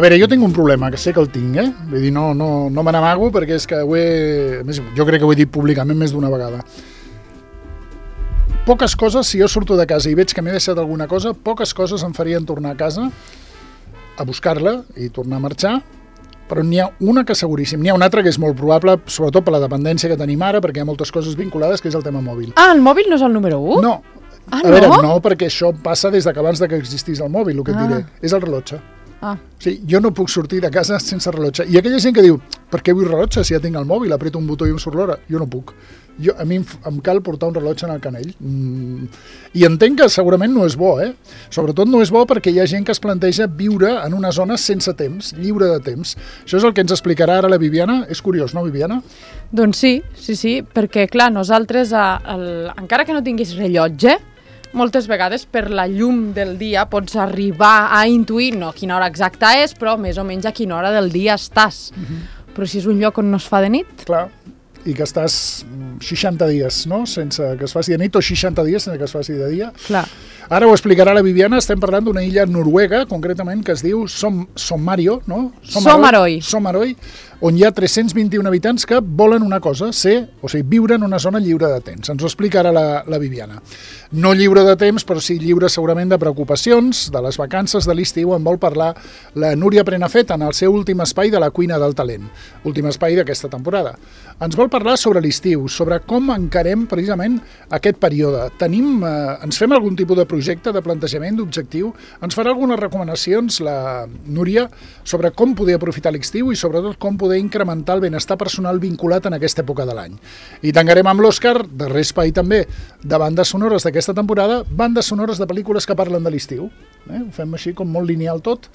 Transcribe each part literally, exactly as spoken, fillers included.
A veure, jo tinc un problema, que sé que el tinc, eh? Vull dir, no, no, no me n'amago perquè és que ho he... Jo crec que ho he dit públicament més d'una vegada. Poques coses, si jo surto de casa i veig que m'he deixat alguna cosa, poques coses em farien tornar a casa a buscar-la i tornar a marxar, però n'hi ha una que seguríssim. N'hi ha una altra que és molt probable, sobretot per la dependència que tenim ara, perquè hi ha moltes coses vinculades, que és el tema mòbil. Ah, el mòbil no és el número u? No. Ah, a no? veure, no, perquè això passa des de que abans de que existís el mòbil, el que et Ah. diré. És el rellotge. Ah. O sigui, jo no puc sortir de casa sense rellotge. I aquella gent que diu, per què vull rellotge si ja tinc el mòbil, aprieto un botó i em surt l'hora? Jo no puc. Jo, a mi em, em cal portar un rellotge en el canell. Mm. I entenc que segurament no és bo, eh? Sobretot no és bo perquè hi ha gent que es planteja viure en una zona sense temps, lliure de temps. Això és el que ens explicarà ara la Viviana. És curiós, no, Viviana? Doncs sí, sí, sí, perquè clar, nosaltres, a, el, encara que no tinguis rellotge, moltes vegades per la llum del dia pots arribar a intuir, no quina hora exacta és, però més o menys a quina hora del dia estàs. Uh-huh. Però si és un lloc on no es fa de nit... Clar, i que estàs seixanta dies, no?, sense que es faci de nit, o seixanta dies sense que es faci de dia. Clar. Ara ho explicarà la Viviana, estem parlant d'una illa noruega, concretament, que es diu Som, Sommario, no? Sommarøy. Sommarøy, on hi ha tres-cents vint-i-un habitants que volen una cosa, ser, o sigui, viure en una zona lliure de temps. Ens ho explica ara la, la Viviana. No lliure de temps, però sí lliure segurament de preocupacions, de les vacances de l'estiu. En vol parlar la Núria Prenafeta en el seu últim espai de la cuina del talent, últim espai d'aquesta temporada. Ens vol parlar sobre l'estiu, sobre com encarem precisament aquest període. Tenim, eh, ens fem algun tipus de projecte, de plantejament, d'objectiu? Ens farà algunes recomanacions, la Núria, sobre com poder aprofitar l'estiu i sobretot com poder incrementar el benestar personal vinculat en aquesta època de l'any. I tancarem amb l'Òscar, darrer espai també, de bandes sonores d'aquesta temporada, bandes sonores de pel·lícules que parlen de l'estiu. Eh? Ho fem així com molt lineal tot,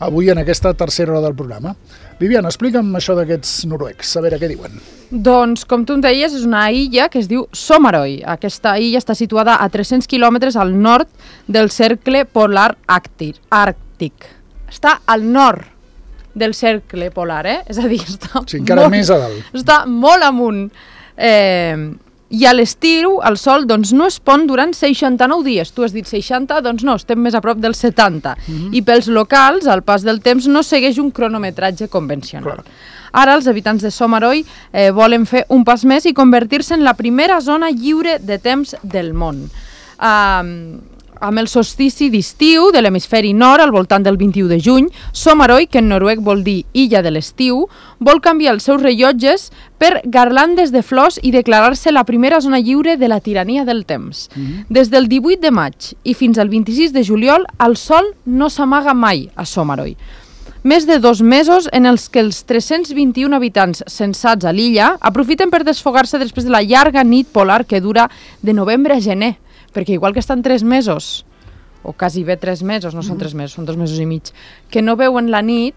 avui en aquesta tercera hora del programa. Viviana, explica'm això d'aquests noruecs, a veure què diuen. Doncs, com tu em deies, és una illa que es diu Sommarøy. Aquesta illa està situada a tres-cents quilòmetres al nord del cercle polar àrtic. Està al nord del cercle polar, eh? És a dir, està, sí, encara molt, més a dalt. Està molt amunt. Eh, I a l'estiu el sol doncs, no es pon durant seixanta-nou dies. Tu has dit seixanta, doncs no, estem més a prop dels setanta. Mm-hmm. I pels locals, el pas del temps no segueix un cronometratge convencional. Clar. Ara els habitants de Sommarøy eh, volen fer un pas més i convertir-se en la primera zona lliure de temps del món. Uh, amb el solstici d'estiu de l'hemisferi nord, al voltant del vint-i-u de juny, Sommarøy, que en noruec vol dir illa de l'estiu, vol canviar els seus rellotges per garlandes de flors i declarar-se la primera zona lliure de la tirania del temps. Mm-hmm. Des del divuit de maig i fins al vint-i-sis de juliol, el sol no s'amaga mai a Sommarøy. Més de dos mesos en els que els tres-cents vint-i-un habitants censats a l'illa aprofiten per desfogar-se després de la llarga nit polar que dura de novembre a gener, perquè igual que estan tres mesos, o quasi bé tres mesos, no són tres mesos, són dos mesos i mig, que no veuen la nit,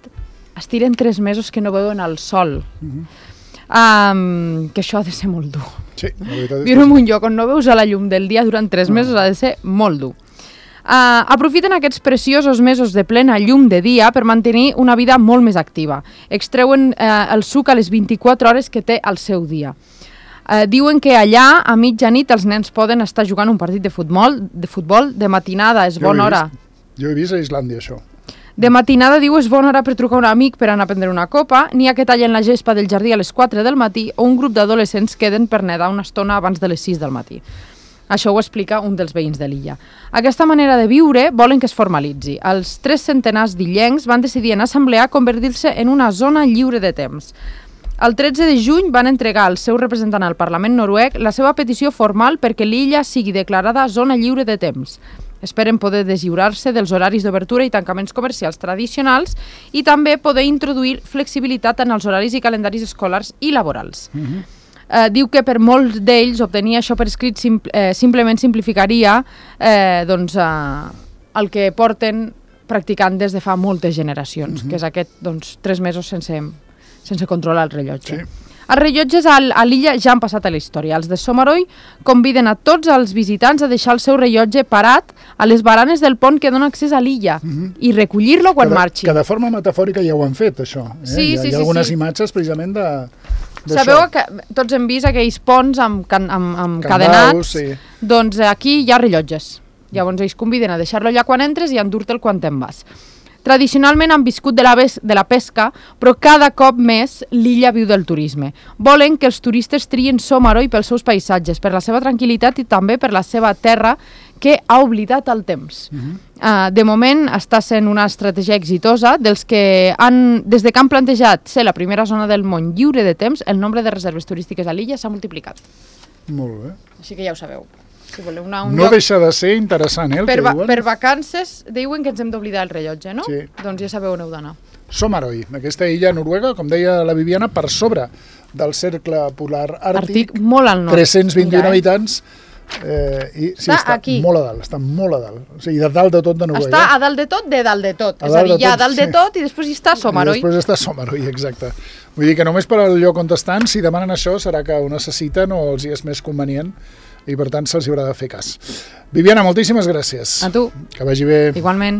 es tiren tres mesos que no veuen el sol. Mm-hmm. um, que això ha de ser molt dur. Sí, la veritat és viure en un lloc on no veus a la llum del dia durant tres mesos no. ha de ser molt dur. Uh, aprofiten aquests preciosos mesos de plena llum de dia per mantenir una vida molt més activa. Extreuen uh, el suc a les vint-i-quatre hores que té al seu dia. Uh, diuen que allà, a mitjanit, els nens poden estar jugant un partit de futbol, de futbol, de matinada, és bona hora. Jo he vist a Islàndia, això. De matinada, diu, és bona hora per trucar a un amic per anar a prendre una copa, n'hi ha que tallen la gespa del jardí a les quatre del matí o un grup d'adolescents queden per nedar una estona abans de les sis del matí. Això ho explica un dels veïns de l'illa. Aquesta manera de viure volen que es formalitzi. Els tres centenars d'illencs van decidir en assemblea convertir-se en una zona lliure de temps. El tretze de juny van entregar al seu representant al Parlament noruec la seva petició formal perquè l'illa sigui declarada zona lliure de temps. Esperen poder deslliurar-se dels horaris d'obertura i tancaments comercials tradicionals i també poder introduir flexibilitat en els horaris i calendaris escolars i laborals. Mm-hmm. Uh, diu que per molts d'ells obtenir això per escrit sim eh, simplement simplificaria eh, doncs, uh, el que porten practicant des de fa moltes generacions, mm-hmm. que és aquest doncs, tres mesos sense, sense controlar el rellotge. Sí. Els rellotges a, a l'illa ja han passat a la història. Els de Sommarøy conviden a tots els visitants a deixar el seu rellotge parat a les baranes del pont que dona accés a l'illa mm-hmm. i recollir-lo quan que de, marxi. Que de forma metafòrica ja ho han fet, això. Eh? Sí, hi ha, sí, hi ha algunes sí. imatges precisament de... Sabeu que tots hem vist aquells ponts amb, can, amb, amb Candaus, cadenats? Sí. Doncs aquí hi ha rellotges. Llavors ells conviden a deixar-lo allà quan entres i a endur-te'l quan te'n vas. Tradicionalment han viscut de la, de la pesca, però cada cop més l'illa viu del turisme. Volen que els turistes trien Somaroy pels seus paisatges, per la seva tranquil·litat i també per la seva terra que ha oblidat el temps. Uh-huh. uh, de moment està sent una estratègia exitosa dels que han, des de que han plantejat ser la primera zona del món lliure de temps, el nombre de reserves turístiques a l'illa s'ha multiplicat. Molt bé. Així que ja ho sabeu. Si voleu una, un no lloc... deixa de ser interessant, eh, el per que va, diuen. Per vacances diuen que ens hem d'oblidar el rellotge, no? Sí. Doncs ja sabeu on heu d'anar. Somaroy, aquesta illa noruega, com deia la Viviana, per sobre del cercle polar àrtic, Àrtic, molt al nord. tres-cents vint-i-un Mira, eh? habitants, eh, i sí, està està aquí. molt a dalt, està molt a dalt, o sigui, de dalt de tot de Noruega. Està a dalt de tot, de dalt de tot. A És a dalt dir, de hi ha tot, dalt de sí. tot i després hi està Somaroy. I després està Somaroy, exacte. Vull dir que només per al lloc on estan, si demanen això, serà que ho necessiten o els hi és més convenient i per tant se'ls haurà de fer cas. Viviana, moltíssimes gràcies. A tu. Que vagi bé. Igualment.